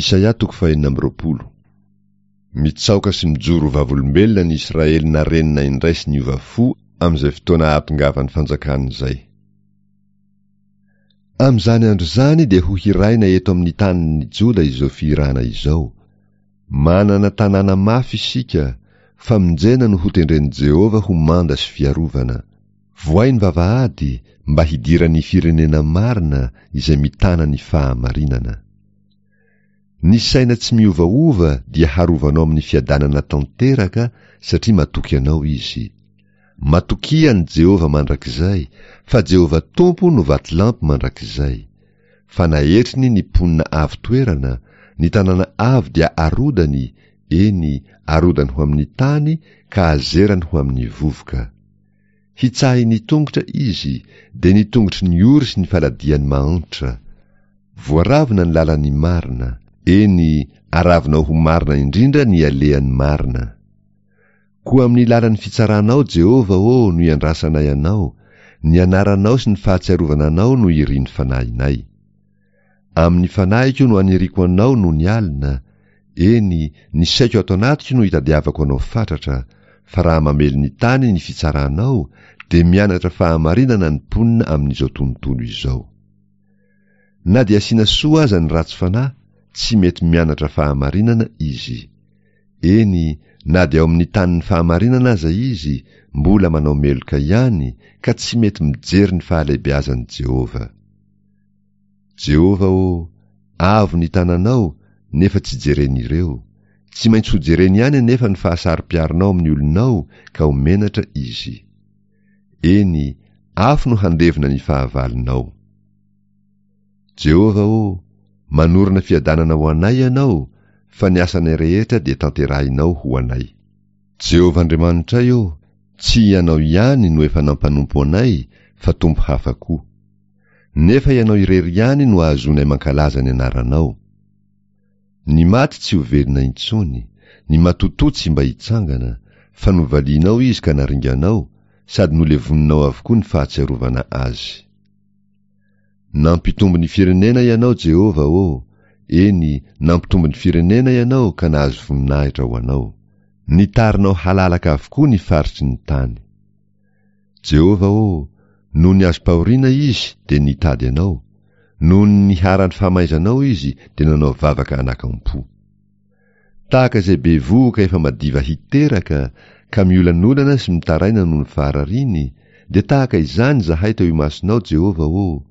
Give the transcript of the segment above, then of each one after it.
Isaia toko fahenina amby roapolo. Mitsaoka sy mijoro ho vavolombelona ny Israely narenina indray sy niova fo amin'izay fotoana ahatongavan'ny fanjakana izay. Amin'izany andro izany dia ho hiraina eto amin'ny tanin'ny Joda izao fihirana izao, Manana tanàna mafy isika, famonjena no hotendren'i Jehovah ho manda sy fiarovana. Vohay ny vavahady mba hidiran'ny firenena marina izay mitana ny fahamarinana. Ny saina tsy miovaova dia harovanao amin'ny fiadanana tanteraka satria matoky anao izy. Matokia an'i Jehovah mandrakizay, fa Jehovah Tompo no vatolampy mandrakizay. Fa naetriny ny mponina avo toerana, ny tanàna avo dia arodany, eny, arodany ho amin'ny tany ka azerany ho amin'ny vovoka. Hitsahin'ny tongotra izy, dia ny tongotry ny ory sy ny faladian'ny mahantra. Voaravona ny lalan'ny marina, eny, aravinao ho marina indrindra ny alehan'ny marina. Koa amin'ny lalan'ny fitsaranao, Jehovah ô, no iandrasanay Anao, ny anaranao sy ny fahatsiarovana Anao no irin'ny fanahinay. Amin'ny fanahiko no aniriako Anao nony alina, eny, ny saiko ato anatiko no itadiavako Anao fatratra, fa raha mamely ny tany ny fitsaranao, dia mianatra fahamarinana ny mponina amin'izao tontolo izao. Na dia asiana soa aza ny ratsy fanahy, tsy mety mianatra fahamarinana izy. Eny, na dia ao amin'ny tanin'ny fahamarinana aza izy, mbola manao meloka ihany, ka tsy mety mijery ny fahalehibeazan'i Jehovah. Jehovah ô, avo ny tananao, nefa tsy jeren'ireo. Tsy maintsy hojereny ihany anefa ny fahasaro-piaronao amin'ny olonao, ka ho menatra izy. Eny, afo no handevona ny fahavalonao. Jehovah ô, manorina fiadanana ho anay Ianao, fa ny asanay rehetra dia tanterahinao ho anay. Jehovah Andriamanitray ô, tsy Ianao ihany no efa nampanompo anay, fa tompo hafa koa. Nefa Ianao irery ihany no ahazoanay mankalaza ny anaranao. Ny maty tsy ho velona intsony, ny matotoa tsy mba hitsangana, fa novalianao izy ka naringanao, sady nolevoninao avokoa ny fahatsiarovana azy. Nampitombo ny firenena Ianao, Jehovah ô, eny, nampitombo ny firenena Ianao ka nahazo voninahitra ho Anao. Nitarinao halalaka avokoa ny faritry ny tany. Jehovah ô, nony azom-pahoriana izy dia nitady Anao, nony niharan'ny famaizanao izy dia nanao vavaka anakam-po. Tahaka izay bevohoka efa madiva hiteraka ka miolanolana sy mitaraina noho ny faharariany, dia tahaka izany izahay teo imasonao, Jehovah ô!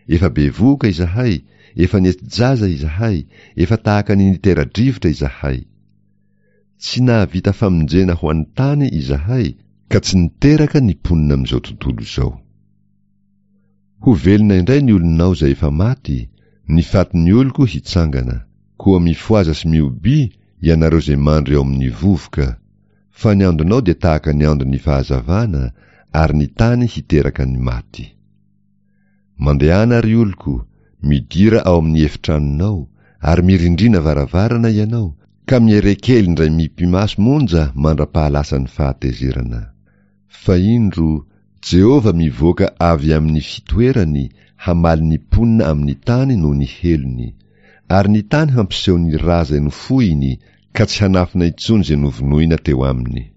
Efa bevohoka izahay, efa nety-jaza izahay, efa tahaka ny nitera-drivotra izahay. Tsy nahavita famonjena ho an'ny tany izahay, ka tsy niteraka ny mponina amin'izao tontolo izao. Ho velona indray ny olonao izay efa maty, ny fatin'ny oloko hitsangana. Koa mifohaza sy mihobia, ianareo izay mandry ao amin'ny vovoka. Fa ny andonao dia tahaka ny andon'ny fahazavana, ary ny tany hiteraka ny maty. Mandehana, ry oloko, midira ao amin'ny efitranonao, ary mirindrina varavarana ianao, ka miere kely indray mipi-maso monja mandra-pahalasan'ny fahatezerana. Fa indro, Jehovah mivoaka avy amin'ny fitoerany hamaly ny mponina amin'ny tany noho ny helony, ary ny tany hampiseho ny ra izay nofohiny ka tsy hanafina intsony izay novonoina teo aminy.